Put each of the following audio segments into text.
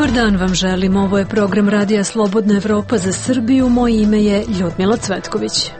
Dobar dan vam želim, ovo je program Radija Slobodna Evropa za Srbiju, moje ime je Ljudmila Cvetković.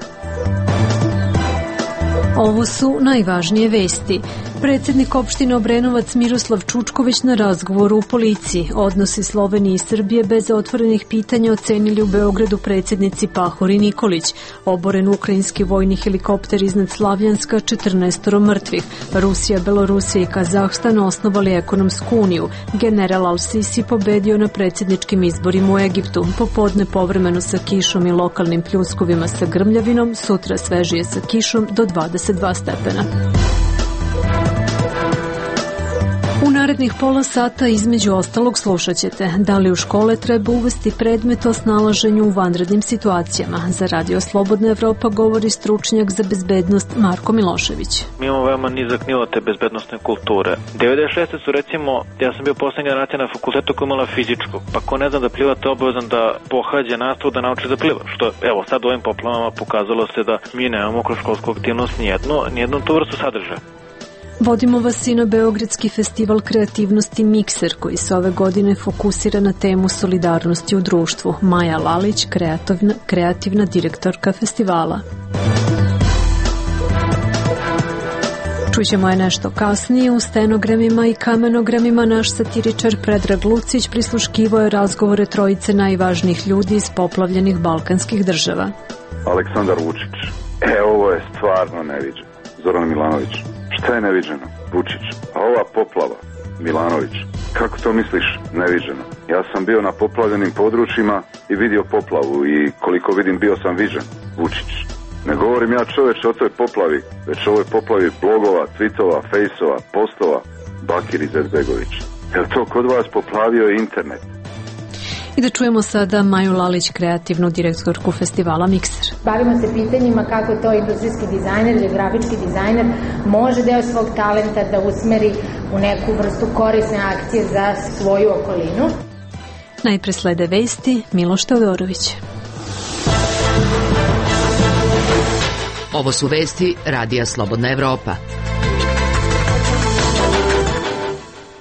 Ovo su najvažnije vesti. Predsjednik opštine Obrenovac Miroslav Čučković na razgovoru u policiji. Odnosi Slovenije i Srbije bez otvorenih pitanja ocenili u Beogradu predsjednici Pahor i Nikolić. Oboren ukrajinski vojni helikopter iznad Slavljanska, 14 mrtvih. Rusija, Belorusija i Kazahstan osnovali ekonomsku uniju. General Al-Sisi pobedio na predsjedničkim izborima u Egiptu. Popodne povremeno sa kišom i lokalnim pljuskovima sa grmljavinom, sutra svežije sa kišom do 22 stepena. U narednih pola sata između ostalog slušat ćete da li u škole treba uvesti predmet o snalaženju u vanrednim situacijama. Za Radio Slobodna Evropa govori stručnjak za bezbednost Marko Milošević. Mi imamo veoma nizak nivo te bezbednostne kulture. 96. su recimo, ja sam bio poslednja generacija na fakultetu koja imala fizičko, pa ko ne zna da pliva, to je obavezan da pohađa nastavu da nauči da pliva. Što evo sad u ovim poplavama pokazalo se da mi nemamo kroz školsku aktivnost nijednu tu vrstu sadržaja. Vodimo vas i na Beogradski festival kreativnosti Mikser, koji se ove godine fokusira na temu solidarnosti u društvu. Maja Lalić, kreativna direktorka festivala. Čućemo je nešto kasnije. U stenogramima i kamenogramima naš satiričar Predrag Lucić prisluškivao je razgovore trojice najvažnijih ljudi iz poplavljenih balkanskih država. Aleksandar Vučić. Ovo je stvarno neviđeno. Zoran Milanović. Šta je neviđeno? Vučić. A ova poplava? Milanović. Kako to misliš neviđeno? Ja sam bio na poplavljenim područjima i vidio poplavu i koliko vidim bio sam viđen. Vučić. Ne govorim ja čoveče o toj poplavi, već o ovoj poplavi blogova, tweetova, fejsova, postova. Bakir Izetbegović. Jel to kod vas poplavio internet? I da čujemo sada Maju Lalić, kreativnu direktorku festivala Mikser. Bavimo se pitanjima kako to industrijski dizajner ili grafički dizajner može deo svog talenta da usmeri u neku vrstu korisne akcije za svoju okolinu. Najpre slede vesti, Miloš Teodorović. Ovo su vesti Radija Slobodna Evropa.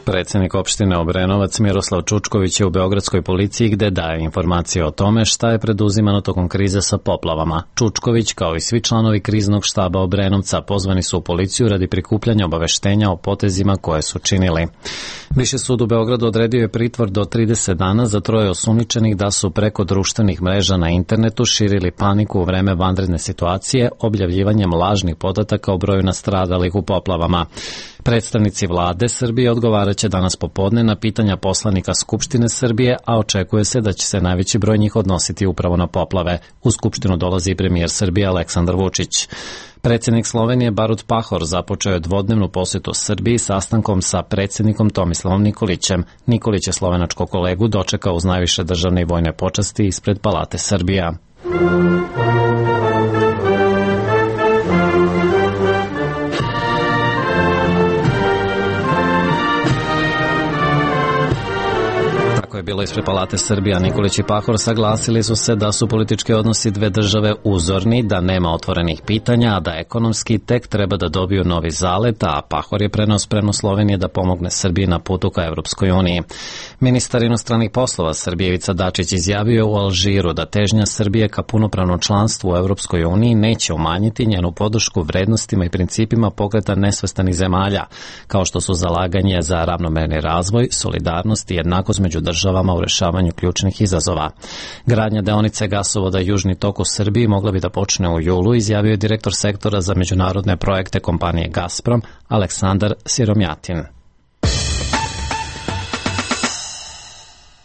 Predsjednik opštine Obrenovac Miroslav Čučković je u beogradskoj policiji gde daje informacije o tome šta je preduzimano tokom krize sa poplavama. Čučković, kao i svi članovi kriznog štaba Obrenovca, pozvani su u policiju radi prikupljanja obaveštenja o potezima koje su činili. Viši sud u Beogradu odredio je pritvor do 30 dana za troje osumnjičenih da su preko društvenih mreža na internetu širili paniku u vreme vanredne situacije objavljivanjem lažnih podataka o broju nastradalih u poplavama. Predstavnici vlade Srbije odgovaraće danas popodne na pitanja poslanika Skupštine Srbije, a očekuje se da će se najveći broj njih odnositi upravo na poplave. U Skupštinu dolazi premijer Srbije Aleksandar Vučić. Predsjednik Slovenije Borut Pahor započeo je dvodnevnu posjetu Srbiji sastankom sa predsjednikom Tomislavom Nikolićem. Nikolić je slovenačkog kolegu dočekao uz najviše državne i vojne počasti ispred Palate Srbija. Je bilo ispred Palate Srbija. Nikolić i Pahor saglasili su se da su politički odnosi dve države uzorni, da nema otvorenih pitanja, a da ekonomski tek treba da dobiju novi zalet, a Pahor je preneo spremnost Slovenije da pomogne Srbiji na putu ka Evropskoj uniji. Ministar inostranih poslova Srbije Ivica Dačić izjavio u Alžiru da težnja Srbije ka punopravnom članstvu u Evropskoj uniji neće umanjiti njenu podršku vrednostima i principima pokreta nesvrstanih zemalja, kao što su zalaganje za ravnomerni razvoj, solidarnost i jednakost među državama u rešavanju ključnih izazova. Gradnja deonice gasovoda Južni tok u Srbiji mogla bi da počne u julu, izjavio je direktor sektora za međunarodne projekte kompanije Gazprom Aleksandar Siromjatin.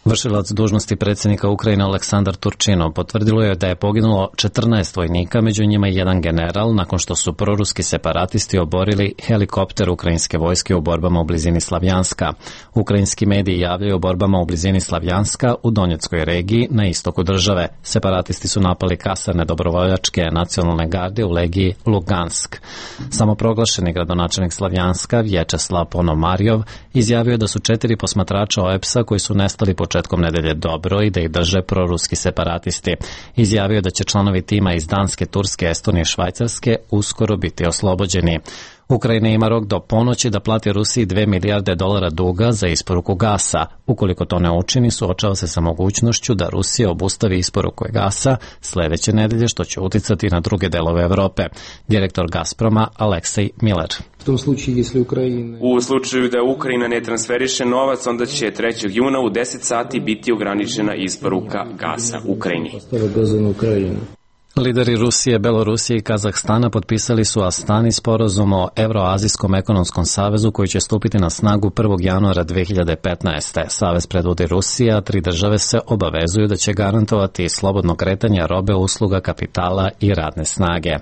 Vršilac dužnosti predsjednika Ukrajine Aleksandar Turčinov potvrdilo je da je poginulo 14 vojnika, među njima i jedan general, nakon što su proruski separatisti oborili helikopter ukrajinske vojske u borbama u blizini Slavjanska. Ukrajinski mediji javljaju o borbama u blizini Slavjanska u Donjeckoj regiji na istoku države. Separatisti su napali kasarne dobrovoljačke nacionalne garde u legiji Lugansk. Samoproglašeni gradonačelnik Slavjanska Vječeslav Ponomarjov izjavio je da su 4 posmatrača OEPS-a koji su nestali početkom nedelje dobro i da ih drže proruski separatisti. Izjavio da će članovi tima iz Danske, Turske, Estonije i Švajcarske uskoro biti oslobođeni. Ukrajina ima rok do ponoći da plati Rusiji $2 milijarde duga za isporuku gasa. Ukoliko to ne učini, suočava se sa mogućnošću da Rusija obustavi isporuku gasa sledeće nedelje, što će uticati na druge delove Evrope. Direktor Gazproma Aleksej Miller. U slučaju da Ukrajina ne transferiše novac, onda će 3. juna u 10 sati biti ograničena isporuka gasa Ukrajini. Lideri Rusije, Belorusije i Kazahstana potpisali su Astani sporazum o Evroazijskom ekonomskom savezu koji će stupiti na snagu 1. januara 2015. Savez predvodi Rusija, 3 države se obavezuju da će garantovati slobodno kretanje robe, usluga, kapitala i radne snage.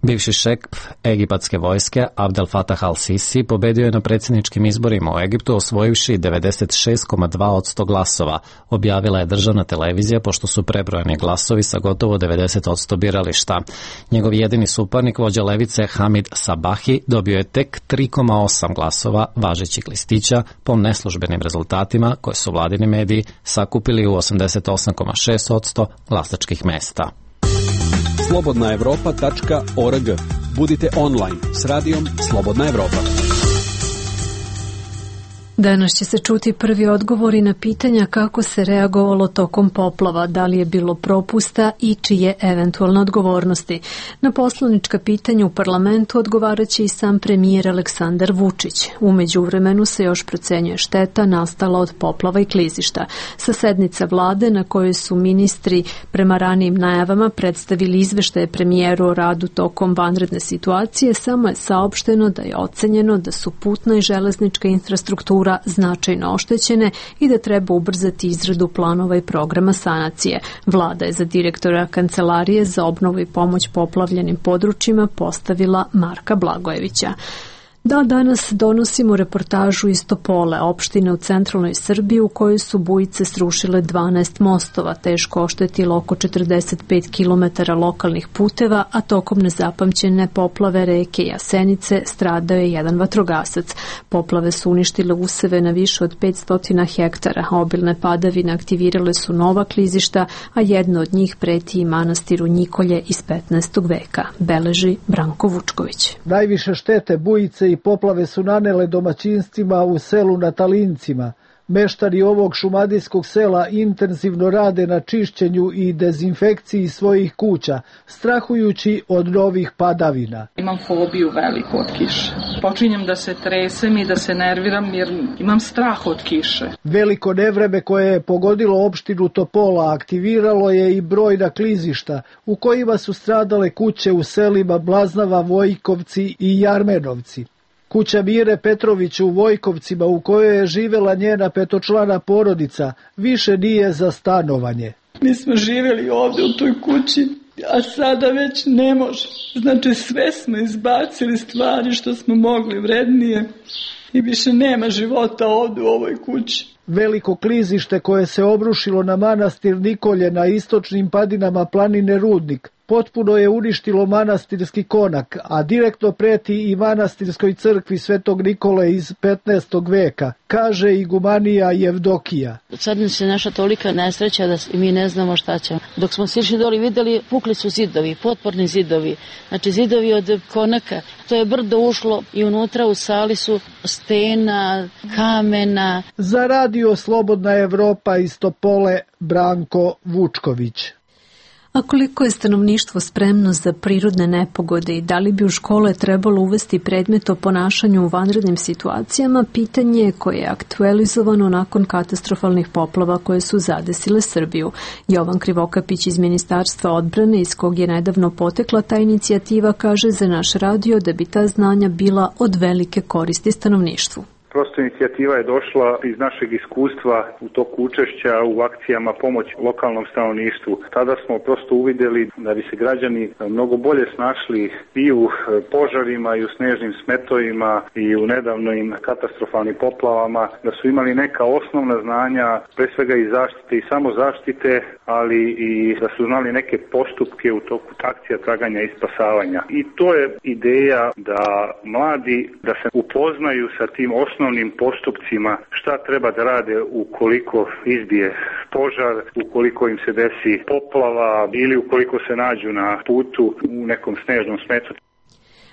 Bivši šef egipatske vojske Abdel Fattah al-Sisi pobedio je na predsjedničkim izborima u Egiptu osvojivši 96,2% glasova, objavila je državna televizija pošto su prebrojani glasovi sa gotovo 90% birališta. Njegov jedini suparnik, vođa levice Hamid Sabahi, dobio je tek 3,8 glasova važećih listića po neslužbenim rezultatima koje su vladini mediji sakupili u 88,6% glasačkih mesta. slobodnaevropa.org. Budite online s radijom Slobodna Evropa. Danas će se čuti prvi odgovori na pitanja kako se reagovalo tokom poplava, da li je bilo propusta i čije eventualne odgovornosti. Na poslanička pitanja u parlamentu odgovaraće i sam premijer Aleksandar Vučić. U međuvremenu se još procenjuje šteta nastala od poplava i klizišta. Sa sednice vlade na kojoj su ministri prema ranijim najavama predstavili izveštaje premijeru o radu tokom vanredne situacije, samo je saopšteno da je ocenjeno da su putna i železnička infrastruktura značajno oštećene i da treba ubrzati izradu planova i programa sanacije. Vlada je za direktora Kancelarije za obnovu i pomoć poplavljenim područjima postavila Marka Blagojevića. Da, danas donosimo reportažu iz Topole, opštine u centralnoj Srbiji u kojoj su bujice srušile 12 mostova, teško oštetilo oko 45 km lokalnih puteva, a tokom nezapamćene poplave reke Jasenice stradao je jedan vatrogasac. Poplave su uništile useve na više od 500 hektara, obilne padavine aktivirale su nova klizišta, a jedno od njih preti i manastiru Njikolje iz 15. veka, beleži Branko Vučković. Najviše štete bujice i poplave su nanele domaćinstvima u selu na Talincima. Meštani ovog šumadijskog sela intenzivno rade na čišćenju i dezinfekciji svojih kuća, strahujući od novih padavina. Imam fobiju veliku od kiše. Počinjem da se tresem i da se nerviram jer imam strah od kiše. Veliko nevreme koje je pogodilo opštinu Topola aktiviralo je i brojna klizišta u kojima su stradale kuće u selima Blaznava, Vojkovci i Jarmenovci. Kuća Mire Petrović u Vojkovcima, u kojoj je živela njena petočlana porodica, više nije za stanovanje. Mi smo živjeli ovdje u toj kući, a sada već ne može. Znači sve smo izbacili stvari što smo mogli vrednije i više nema života ovdje u ovoj kući. Veliko klizište koje se obrušilo na manastir Nikolje na istočnim padinama planine Rudnik potpuno je uništilo manastirski konak, a direktno preti i manastirskoj crkvi Svetog Nikole iz 15. veka, kaže igumanija Jevdokija. Sad nam se naša tolika nesreća da mi ne znamo šta ćemo. Dok smo sišli doli videli, pukli su zidovi, potporni zidovi, znači zidovi od konaka. To je brdo ušlo i unutra u sali su stena, kamena. Za radio Slobodna Evropa iz Topole, Branko Vučković. A koliko je stanovništvo spremno za prirodne nepogode i da li bi u škole trebalo uvesti predmet o ponašanju u vanrednim situacijama, pitanje je koje je aktualizovano nakon katastrofalnih poplava koje su zadesile Srbiju. Jovan Krivokapić iz Ministarstva odbrane, iz kog je nedavno potekla ta inicijativa, kaže za naš radio da bi ta znanja bila od velike koristi stanovništvu. Prosto inicijativa je došla iz našeg iskustva u toku učešća u akcijama pomoći lokalnom stanovništvu. Tada smo prosto uvidjeli da bi se građani mnogo bolje snašli i u požarima i u snežnim smetovima i u nedavnim katastrofalnim poplavama, da su imali neka osnovna znanja, pre svega i zaštite i samozaštite, ali i da su znali neke postupke u toku akcija traganja i spasavanja. I to je ideja da mladi da se upoznaju sa tim osnovnim postupcima, šta treba da rade ukoliko izbije požar, ukoliko im se desi poplava ili ukoliko se nađu na putu u nekom snežnom smetu.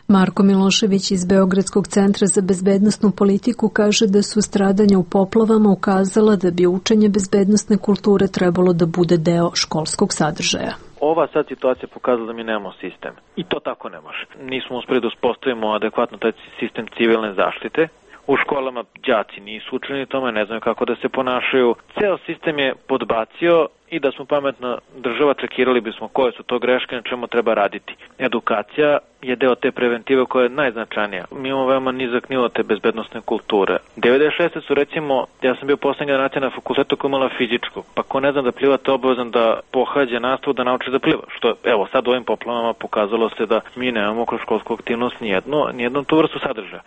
Marko Milošević iz Beogradskog centra za bezbednosnu politiku kaže da su stradanja u poplavama ukazala da bi učenje bezbednosne kulture trebalo da bude deo školskog sadržaja. Ova sad situacija pokazala da mi nemamo sistem. I to tako ne može. Nismo uspeli da uspostavimo adekvatno taj sistem civilne zaštite. U školama đaci nisu učeni tome, ne znaju kako da se ponašaju. Ceo sistem je podbacio i da smo pametna država čekirali bismo koje su to greške, na čemu treba raditi. Edukacija je deo te preventive koja je najznačajnija. Mi imamo veoma nizak nivo te bezbednosne kulture. 96. su recimo, ja sam bio poslednja generacija na fakultetu koja imala fizičku, pa ko ne zna da pliva to obavezan da pohađa nastavu da nauči da pliva. Što evo sad u ovim poplavama pokazalo se da mi nemamo kroz školsku aktivnost nijednu tu vrstu sadržaja.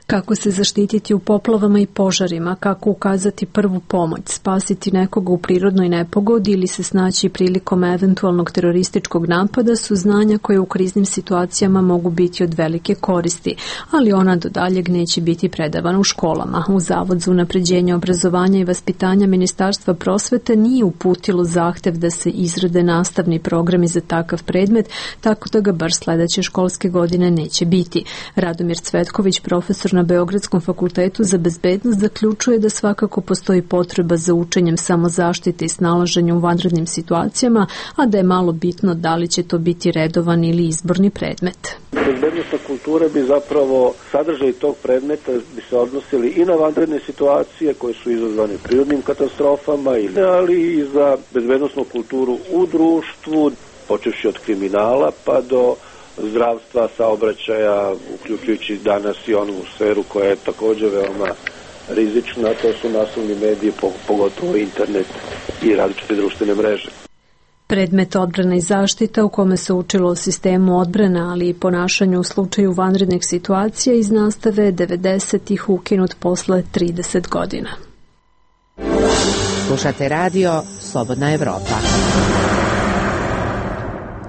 Kako se zaštititi u poplavama i požarima, kako ukazati prvu pomoć, spasiti nekoga u prirodnoj nepogodi ili se snaći prilikom eventualnog terorističkog napada su znanja koje u kriznim situacijama mogu biti od velike koristi, ali ona do daljeg neće biti predavana u školama. U Zavod za unapređenje obrazovanja i vaspitanja Ministarstva prosvete nije uputilo zahtev da se izrade nastavni programi za takav predmet, tako da ga bar sledeće školske godine neće biti. Radomir Cvetković, profesor na Beogradskom fakultetu za bezbednost, zaključuje da svakako postoji potreba za učenjem samozaštite i snalaženja u vanrednim situacijama, a da je malo bitno da li će to biti redovan ili izborni predmet. Bezbednosna kultura bi zapravo, sadržaj tog predmeta bi se odnosili i na vanredne situacije koje su izazvane prirodnim katastrofama, ali i za bezbednosnu kulturu u društvu, počevši od kriminala pa do zdravstva, saobraćaja, uključujući danas i onu sferu koja je također veoma rizična, to su naslovni mediji, pogotovo internet i različite društvene mreže. Predmet odbrana i zaštita u kome se učilo o sistemu odbrana, ali i ponašanju u slučaju vanrednih situacija iz nastave 90-ih ukinut posle 30 godina. Slušate radio Slobodna Evropa.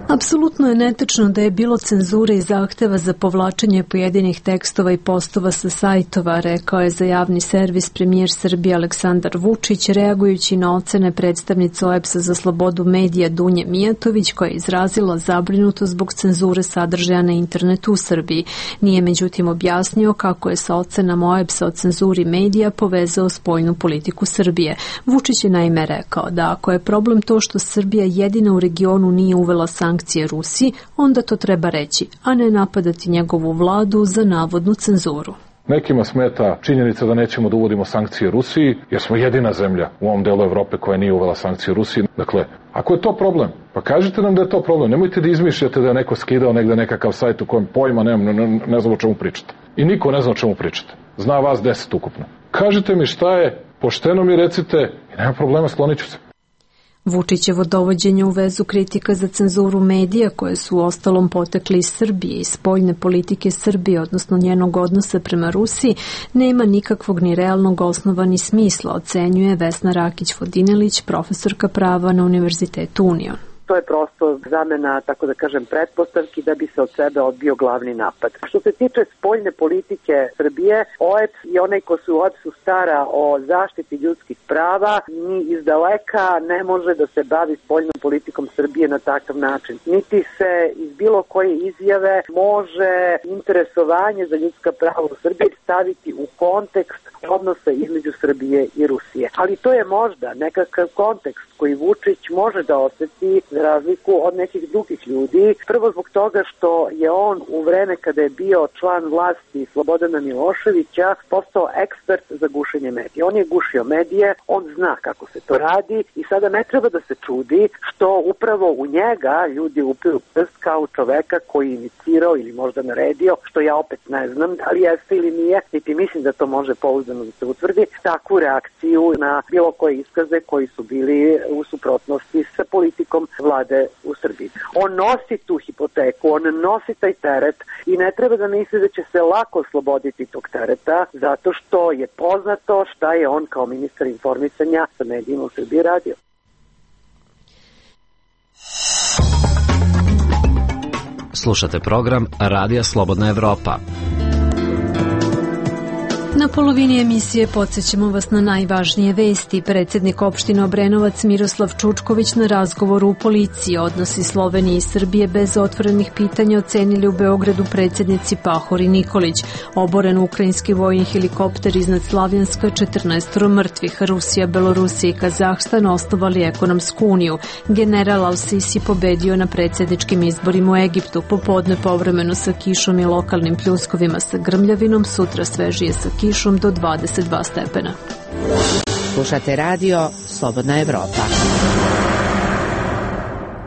Apsolutno je netačno da je bilo cenzure i zahteva za povlačenje pojedinih tekstova i postova sa sajtova, rekao je za javni servis premijer Srbije Aleksandar Vučić, reagujući na ocene predstavnice OEBS-a za slobodu medija Dunje Mijatović, koja je izrazila zabrinutost zbog cenzure sadržaja na internetu u Srbiji. Nije međutim objasnio kako je sa ocenama OEBS-a o cenzuri medija povezao spoljnu politiku Srbije. Vučić je naime rekao da ako je problem to što Srbija jedina u regionu nije uvela sankcije Rusiji, onda to treba reći, a ne napadati njegovu vladu za navodnu cenzuru. Nekima smeta činjenica da nećemo da uvodimo sankcije Rusiji, jer smo jedina zemlja u ovom delu Evrope koja nije uvela sankcije Rusiji. Dakle, ako je to problem, pa kažite nam da je to problem. Nemojte da izmišljate da je neko skidao negde nekakav sajt u kojem pojma ne znam o čemu pričate. I niko ne zna o čemu pričate. Zna vas 10 ukupno. Kažite mi šta je, pošteno mi recite i nema problema, sklonit ću se. Vučićevo dovođenje u vezu kritika za cenzuru medija koje su ostalom potekli iz Srbije i spoljne politike Srbije, odnosno njenog odnosa prema Rusiji, nema nikakvog ni realnog osnova ni smisla, ocenjuje Vesna Rakić-Vodinelić, profesorka prava na Univerzitetu Union. To je prosto zamena, tako da kažem, pretpostavki da bi se od sebe odbio glavni napad. Što se tiče spoljne politike Srbije, OEBS i onaj ko se u OEBS-u stara o zaštiti ljudskih prava, ni izdaleka ne može da se bavi spoljnom politikom Srbije na takav način. Niti se iz bilo koje izjave može interesovanje za ljudska prava u Srbiji staviti u kontekst odnosa između Srbije i Rusije. Ali to je možda nekakav kontekst koji Vučić može da osjeti za razliku od nekih drugih ljudi. Prvo zbog toga što je on u vreme kada je bio član vlasti Slobodana Miloševića postao ekspert za gušenje medija. On je gušio medije, on zna kako se to radi i sada ne treba da se čudi što upravo u njega ljudi upiru prst kao čoveka koji je inicirao ili možda naredio, što ja opet ne znam da li jeste ili nije, niti mislim da to može pouzdano da se utvrdi, takvu reakciju na bilo koje iskaze koji su bili u suprotnosti sa politikom vlade u Srbiji. On nosi tu hipoteku, on nosi taj teret i ne treba da misli da će se lako osloboditi tog tereta, zato što je poznato šta je on kao ministar informisanja sa medijima u Srbiji radio. Slušate program Radija Slobodna Evropa. Na polovini emisije podsjećamo vas na najvažnije vesti. Predsjednik opštine Obrenovac Miroslav Čučković na razgovoru u policiji. Odnosi Slovenije i Srbije bez otvorenih pitanja ocenili u Beogradu predsjednici Pahor i Nikolić. Oboren ukrajinski vojni helikopter iznad Slavjanska, 14 mrtvih. Rusija, Belorusija i Kazahstan osnovali ekonomsku uniju. General Al-Sisi pobedio na predsjedničkim izborima u Egiptu. Popodne povremeno sa kišom i lokalnim pljuskovima sa grmljavinom. Sutra svežije sa kišom do 22 stepena. Slušate radio Slobodna Evropa.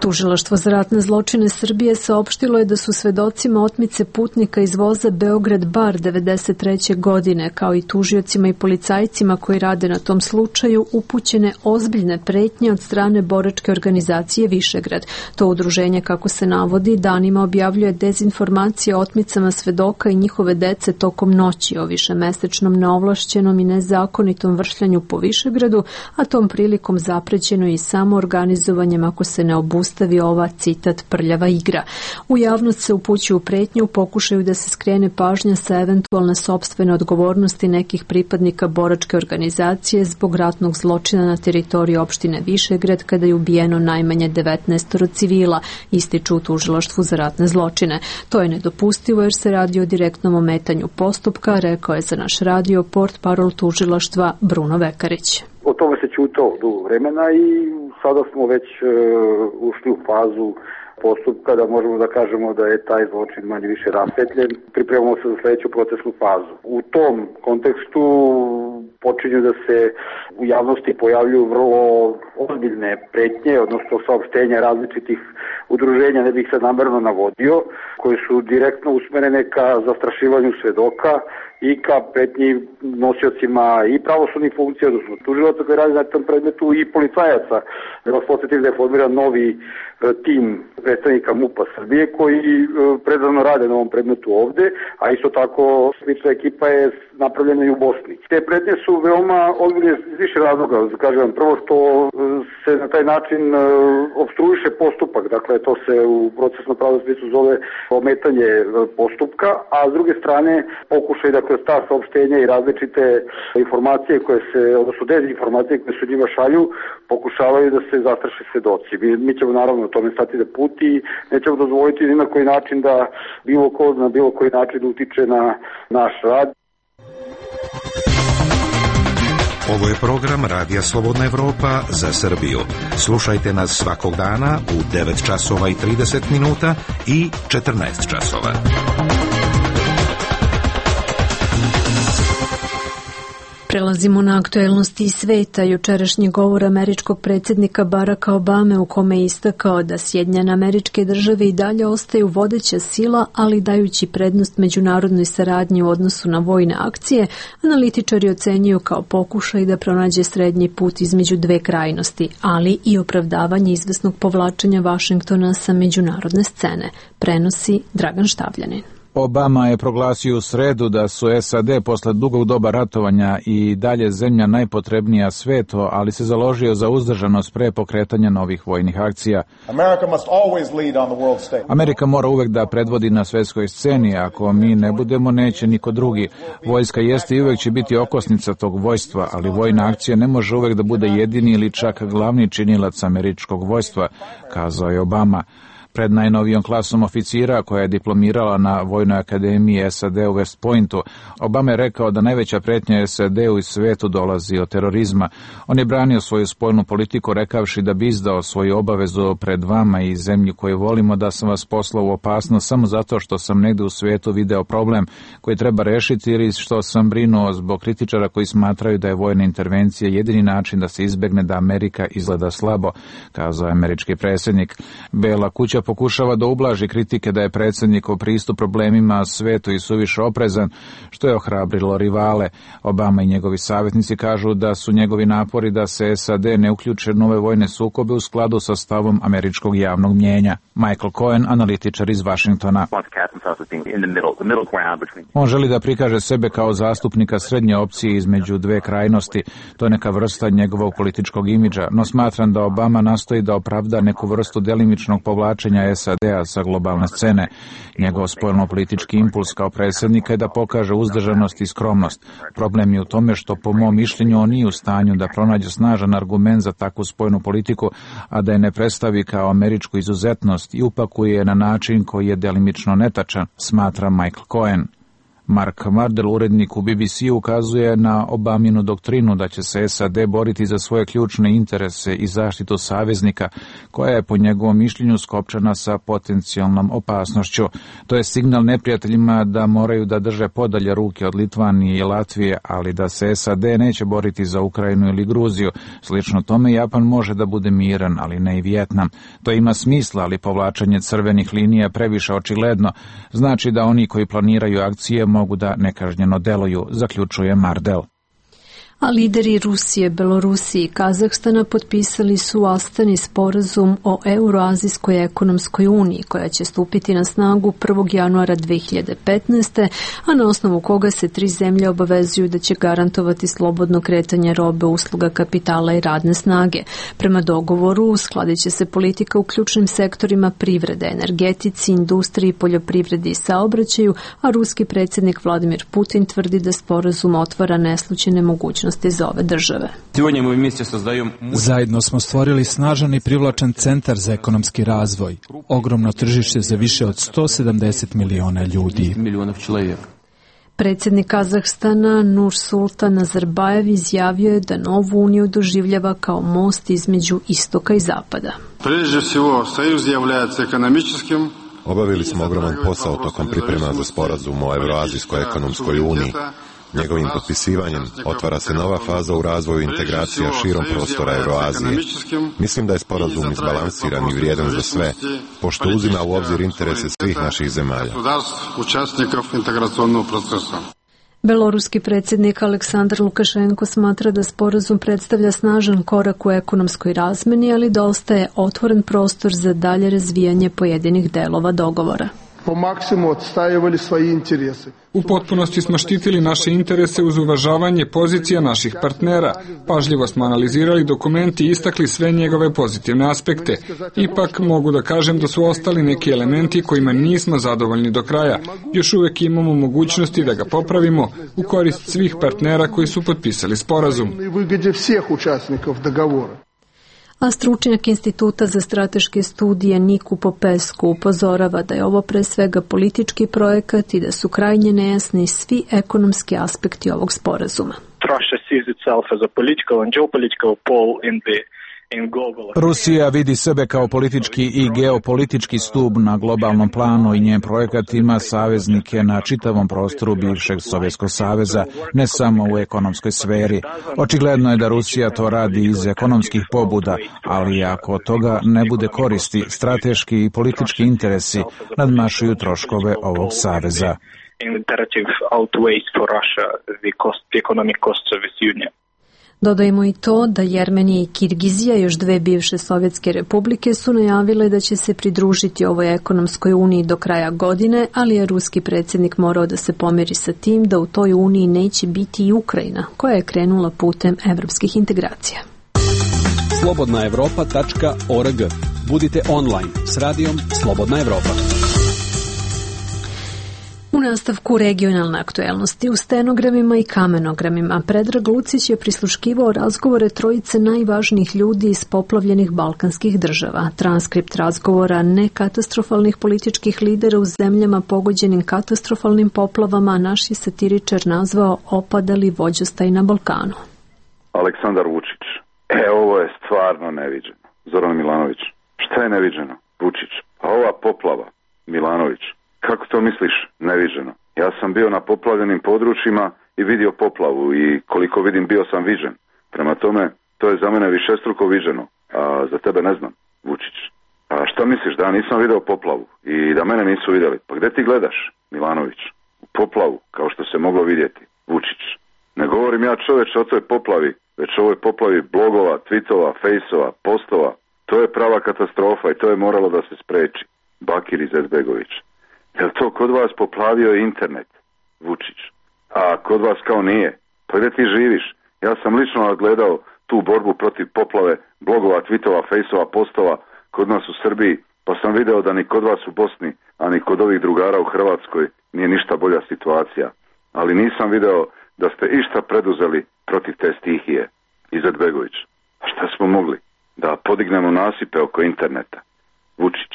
Tužilaštvo za ratne zločine Srbije saopštilo je da su svedocima otmice putnika iz voza Beograd-Bar 93. godine, kao i tužiocima i policajcima koji rade na tom slučaju, upućene ozbiljne pretnje od strane boračke organizacije Višegrad. To udruženje, kako se navodi, danima objavljuje dezinformacije o otmicama svedoka i njihove dece tokom noći, o višemesečnom neovlašćenom i nezakonitom vršljanju po Višegradu, a tom prilikom zaprećeno i samo organizovanjem ako se ne obustavi ova, citat, prljava igra. U javnost se upućuju pretnje u pokušaju da se skrene pažnja sa eventualne sopstvene odgovornosti nekih pripadnika boračke organizacije zbog ratnog zločina na teritoriji opštine Višegrad kada je ubijeno najmanje 19 civila, ističu u Tužilaštvu za ratne zločine. To je nedopustivo jer se radi o direktnom ometanju postupka, rekao je za naš radio portparol Tužilaštva Bruno Vekarić. O tome se ćutalo dugo vremena i sada smo već ušli u fazu postupka da možemo da kažemo da je taj zločin manje više rasvetljen. Pripremamo se za sledeću procesnu fazu. U tom kontekstu počinju da se u javnosti pojavljuju vrlo ozbiljne pretnje, odnosno saopštenja različitih udruženja, ne bih se namerno navodio, koji su direktno usmerene ka zastrašivanju svedoka i ka pretnji nosiocima i pravosudnih funkcija, odnosno tužilaca koji radi na tom predmetu i policajaca. Da vas podsjetim da je formiran novi tim predstavnika MUP-a Srbije koji predano rade na ovom predmetu ovde, a isto tako slična ekipa je napravljena i u Bosni. Te pretnje su veoma ozbiljne iz više razloga. Kažem, prvo što se na taj način opstruiše postupak, dakle to se u procesnom pravnom smislu zove ometanje postupka, a s druge strane pokušaj da kroz ta saopštenja i različite informacije koje se, odnosno dezinformacije koje se njima šalju, pokušavaju da se zastraše svedoci. Mi ćemo naravno tome stati da put i nećemo dozvoliti ni na koji način da bilo ko na bilo koji način utiče na naš rad. Ovo je program Radija Slobodna Evropa za Srbiju. Slušajte nas svakog dana u 9 časova i 30 minuta i 14 časova. Prelazimo na aktuelnosti iz sveta. Jučerašnji govor američkog predsjednika Baracka Obame u kome je istakao da Sjedinjene Američke Države i dalje ostaju vodeća sila, ali dajući prednost međunarodnoj saradnji u odnosu na vojne akcije, analitičari ocenjuju kao pokušaj da pronađe srednji put između dve krajnosti, ali i opravdavanje izvesnog povlačenja Vašingtona sa međunarodne scene, prenosi Dragan Štavljanin. Obama je proglasio u sredu da su SAD posle dugog doba ratovanja i dalje zemlja najpotrebnija svetu, ali se založio za uzdržanost pre pokretanja novih vojnih akcija. Amerika mora uvek da predvodi na svetskoj sceni, ako mi ne budemo, neće niko drugi. Vojska jeste i uvek će biti okosnica tog vojstva, ali vojna akcija ne može uvek da bude jedini ili čak glavni činilac američkog vojstva, kazao je Obama. Pred najnovijom klasom oficira koja je diplomirala na Vojnoj akademiji SAD u West Pointu, Obama je rekao da najveća pretnja SAD-u i svetu dolazi od terorizma. On je branio svoju spoljnu politiku rekavši da bi izdao svoju obavezu pred vama i zemlju koju volimo, da sam vas poslao u opasnost samo zato što sam negde u svetu video problem koji treba rešiti ili što sam brinuo zbog kritičara koji smatraju da je vojna intervencija jedini način da se izbegne da Amerika izgleda slabo, kazao je američki predsjednik. Bela kuća pokušava da ublaži kritike da je predsjednikov pristup problemima svetu i suviše oprezan, što je ohrabrilo rivale. Obama i njegovi savjetnici kažu da su njegovi napori da se SAD ne uključe nove vojne sukobe u skladu sa stavom američkog javnog mnjenja. Michael Cohen, analitičar iz Vašingtona. On želi da prikaže sebe kao zastupnika srednje opcije između dve krajnosti. To je neka vrsta njegovog političkog imidža, no smatram da Obama nastoji da opravda neku vrstu delimičnog povlačenja isključenja SAD-a sa globalne scene. Njegov spoljno-politički impuls kao predsjednika je da pokaže uzdržanost i skromnost. Problem je u tome što po mom mišljenju on nije u stanju da pronađe snažan argument za takvu spoljnu politiku, a da je ne predstavi kao američku izuzetnost i upakuje na način koji je delimično netačan, smatra Michael Cohen. Mark Mardell, urednik u BBC, ukazuje na Obaminu doktrinu da će se SAD boriti za svoje ključne interese i zaštitu saveznika, koja je po njegovom mišljenju skopčana sa potencijalnom opasnošću. To je signal neprijateljima da moraju da drže podalje ruke od Litvanije i Latvije, ali da se SAD neće boriti za Ukrajinu ili Gruziju. Slično tome, Japan može da bude miran, ali ne i Vijetnam. To ima smisla, ali povlačenje crvenih linija previše očigledno. Znači da oni koji planiraju akcije mogu da nekažnjeno deluju, zaključuje Mardell. A lideri Rusije, Belorusije i Kazahstana potpisali su u Astani sporazum o Euroazijskoj ekonomskoj uniji, koja će stupiti na snagu 1. januara 2015. a na osnovu koga se 3 zemlje obavezuju da će garantovati slobodno kretanje robe, usluga, kapitala i radne snage. Prema dogovoru uskladit će se politika u ključnim sektorima privrede, energetici, industriji, poljoprivredi i saobraćaju, a ruski predsjednik Vladimir Putin tvrdi da sporazum otvara neslućene mogućnosti za ove države. Zajedno smo stvorili snažan i privlačan centar za ekonomski razvoj, ogromno tržište za više od 170 miliona ljudi. Predsjednik Kazahstana Nursultan Nazarbajev izjavio je da novu uniju doživljava kao most između istoka i zapada. Obavili smo ogroman posao tokom priprema za sporazum o Euroazijskoj ekonomskoj uniji. Njegovim potpisivanjem otvara se nova faza u razvoju integracija širom prostora Euroazije. Mislim da je sporazum izbalansiran i vrijedan za sve, pošto uzima u obzir interese svih naših zemalja. Beloruski predsjednik Aleksandar Lukašenko smatra da sporazum predstavlja snažan korak u ekonomskoj razmeni, ali da ostaje otvoren prostor za dalje razvijanje pojedinih delova dogovora. Po maksimumu odstajevali svoje interese. U potpunosti smo štitili naše interese uz uvažavanje pozicija naših partnera. Pažljivo smo analizirali dokument i istakli sve njegove pozitivne aspekte. Ipak mogu da kažem da su ostali neki elementi kojima nismo zadovoljni do kraja. Još uvijek imamo mogućnosti da ga popravimo u korist svih partnera koji su potpisali sporazum. A stručnjak Instituta za strateške studije Niku Popescu upozorava da je ovo pre svega politički projekat i da su krajnje nejasni svi ekonomski aspekti ovog sporazuma. Rusija vidi sebe kao politički i geopolitički stub na globalnom planu i njen projekat ima saveznike na čitavom prostoru bivšeg Sovjetskog saveza, ne samo u ekonomskoj sferi. Očigledno je da Rusija to radi iz ekonomskih pobuda, ali ako od toga ne bude koristi, strateški i politički interesi nadmašuju troškove ovog saveza. Dodajmo i to da Jermenija i Kirgizija, još 2 bivše sovjetske republike, su najavile da će se pridružiti ovoj ekonomskoj uniji do kraja godine, ali je ruski predsjednik morao da se pomiri sa tim da u toj uniji neće biti i Ukrajina, koja je krenula putem evropskih integracija. slobodnaevropa.org. Budite online s radijom Slobodna Evropa. U nastavku regionalne aktuelnosti u stenogramima i kamenogramima Predrag Lucić je prisluškivao razgovore trojice najvažnijih ljudi iz poplavljenih balkanskih država. Transkript razgovora nekatastrofalnih političkih lidera u zemljama pogođenim katastrofalnim poplavama naš je satiričar nazvao opadali vođostaj na Balkanu. Aleksandar Vučić. Ovo je stvarno neviđeno. Zoran Milanović. Šta je neviđeno? Vučić. A ova poplava? Milanović. Kako to misliš neviđeno? Ja sam bio na poplavljenim područjima i vidio poplavu i koliko vidim bio sam viđen. Prema tome, to je za mene višestruko viđeno, a za tebe ne znam, Vučić. A šta misliš, da ja nisam video poplavu i da mene nisu vidjeli? Pa gde ti gledaš, Milanović? U poplavu, kao što se moglo vidjeti, Vučić. Ne govorim ja čoveče o toj poplavi, već o ovoj poplavi blogova, tweetova, fejsova, postova. To je prava katastrofa i to je moralo da se spreči. Bakir Izetbegović. Jel to kod vas poplavio internet, Vučić? A kod vas kao nije? Pa gdje ti živiš? Ja sam lično gledao tu borbu protiv poplave blogova, tweetova, fejsova, postova kod nas u Srbiji Pa sam video da ni kod vas u Bosni, a ni kod ovih drugara u Hrvatskoj nije ništa bolja situacija. Ali nisam video da ste išta preduzeli protiv te stihije. Izetbegović. A šta smo mogli? Da podignemo nasipe oko interneta. Vučić.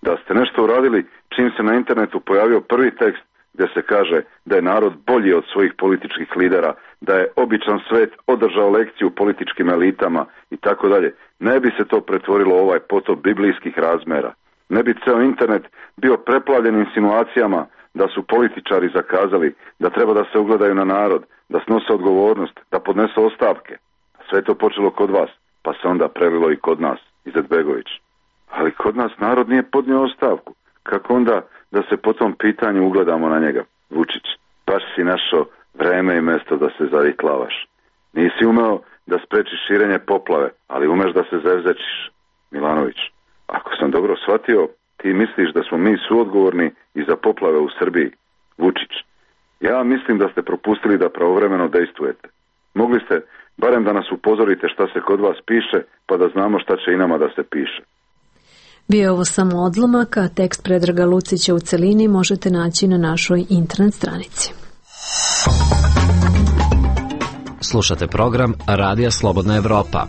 Da ste nešto uradili čim se na internetu pojavio prvi tekst gdje se kaže da je narod bolji od svojih političkih lidera, da je običan svet održao lekciju političkim elitama i tako dalje. Ne bi se to pretvorilo u ovaj potop biblijskih razmera. Ne bi ceo internet bio preplavljen insinuacijama da su političari zakazali, da treba da se ugledaju na narod, da snose odgovornost, da podnesu ostavke. Sve je to počelo kod vas, pa se onda prelilo i kod nas, Izetbegović. Ali kod nas narod nije podnio ostavku. Kako onda da se po tom pitanju ugledamo na njega? Vučić, baš si našao vreme i mesto da se zavitlavaš. Nisi umeo da sprečiš širenje poplave, ali umeš da se zevzečiš. Milanović, ako sam dobro shvatio, ti misliš da smo mi suodgovorni i za poplave u Srbiji. Vučić, ja mislim da ste propustili da pravovremeno dejstvujete. Mogli ste barem da nas upozorite šta se kod vas piše, pa da znamo šta će i nama da se piše. Bio je ovo samo odlomak, a tekst Predraga Lucića u celini možete naći na našoj internet stranici. Slušate program Radija Slobodna Evropa.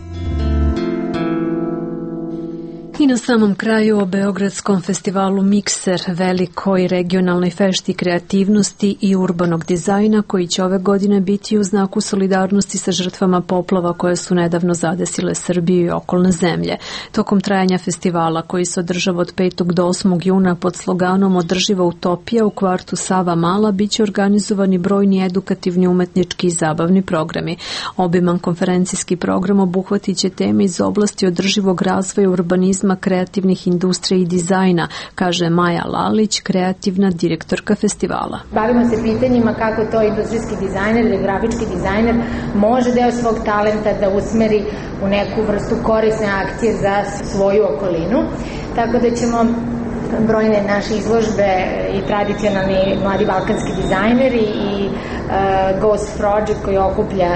I na samom kraju o Beogradskom festivalu Mikser, velikoj regionalnoj fešti kreativnosti i urbanog dizajna koji će ove godine biti u znaku solidarnosti sa žrtvama poplava koje su nedavno zadesile Srbiju i okolne zemlje. Tokom trajanja festivala koji se održava od 5. do 8. juna pod sloganom Održiva utopija u kvartu Sava Mala biće organizovani brojni edukativni, umetnički i zabavni programi. Obiman konferencijski program obuhvatit će teme iz oblasti održivog razvoja, urbanizma, kreativnih industrija i dizajna, kaže Maja Lalić, kreativna direktorka festivala. Bavimo se pitanjima kako to industrijski dizajner ili grafički dizajner može deo svog talenta da usmeri u neku vrstu korisne akcije za svoju okolinu. Tako da ćemo brojne naše izložbe i tradicionalni mladi balkanski dizajneri i Ghost Project koji okuplja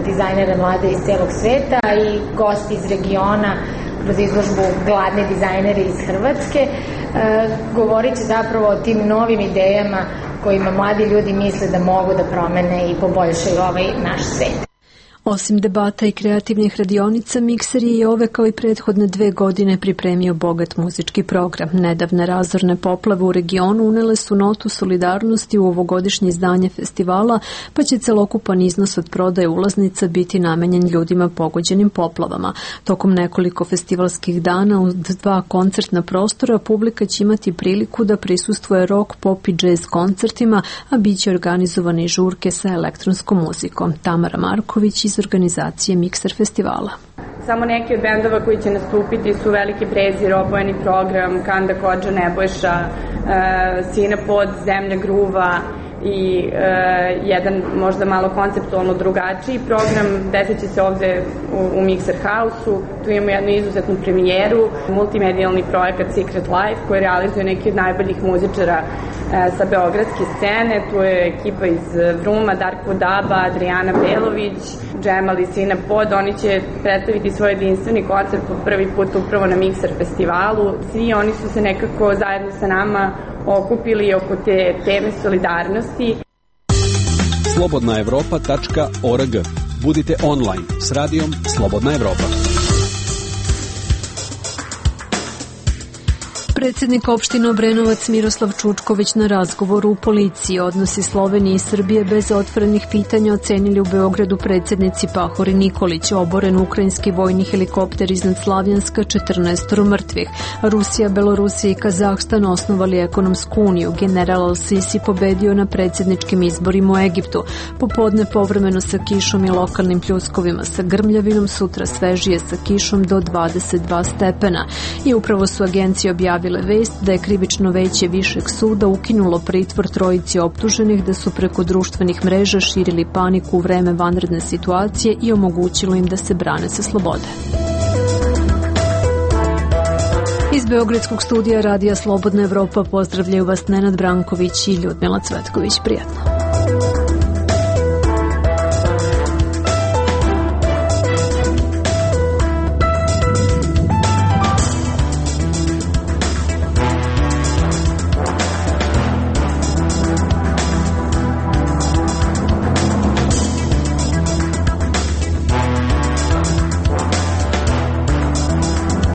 dizajnere mlade iz celog sveta i gosti iz regiona kroz izložbu Gladni dizajneri iz Hrvatske, govorit će zapravo o tim novim idejama kojima mladi ljudi misle da mogu da promene i poboljšaju ovaj naš svet. Osim debata i kreativnih radionica, Mikser je i ove kao i prethodne 2 godine pripremio bogat muzički program. Nedavne razorne poplave u regionu unele su notu solidarnosti u ovogodišnje izdanje festivala, pa će celokupan iznos od prodaje ulaznica biti namenjen ljudima pogođenim poplavama. Tokom nekoliko festivalskih dana u 2 koncertna prostora publika će imati priliku da prisustvuje rock, pop i jazz koncertima, a bit će organizovane i žurke sa elektronskom muzikom. Tamara Marković iz organizacije Mikser festivala. Samo neki od bendova koji će nastupiti su Veliki Prezir, Obojeni program, Kanda Kodža, Nebojša, Sina Pod, Zemlja Gruva i jedan možda malo konceptualno drugačiji program. Desit će se ovde u Mikser House-u. Tu imamo jednu izuzetnu premijeru, multimedijalni projekat Secret Life koji realizuje neki od najboljih muzičara sa beogradske scene. Tu je ekipa iz Vruma, Darko Daba, Adriana Belović, Džemal i Sina Pod. Oni će predstaviti svoj jedinstveni koncert po prvi put upravo na Mikser festivalu. Svi oni su se nekako zajedno sa nama okupili oko te teme solidarnosti. slobodnaevropa.org. Budite online s radijom Slobodna Evropa. Predsjednik opštine Obrenovac Miroslav Čučković na razgovoru u policiji. Odnosi Slovenije i Srbije bez otvorenih pitanja ocenili u Beogradu predsjednici Pahor i Nikolić. Oboren ukrajinski vojni helikopter iznad Slavjanska, 14 mrtvih. Rusija, Belorusija i Kazahstan osnovali ekonomsku uniju. General Al-Sisi pobedio na predsjedničkim izborima u Egiptu. Popodne povremeno sa kišom i lokalnim pljuskovima sa grmljavinom, sutra svežije sa kišom do 22 stepena. I upravo su agencije objavile vest da je krivično veće Višeg suda ukinulo pritvor 3 optuženih da su preko društvenih mreža širili paniku u vreme vanredne situacije i omogućilo im da se brane sa slobode. Iz Beogradskog studija Radija Slobodna Evropa pozdravljaju vas Nenad Branković i Ljudmila Cvetković. Prijatno.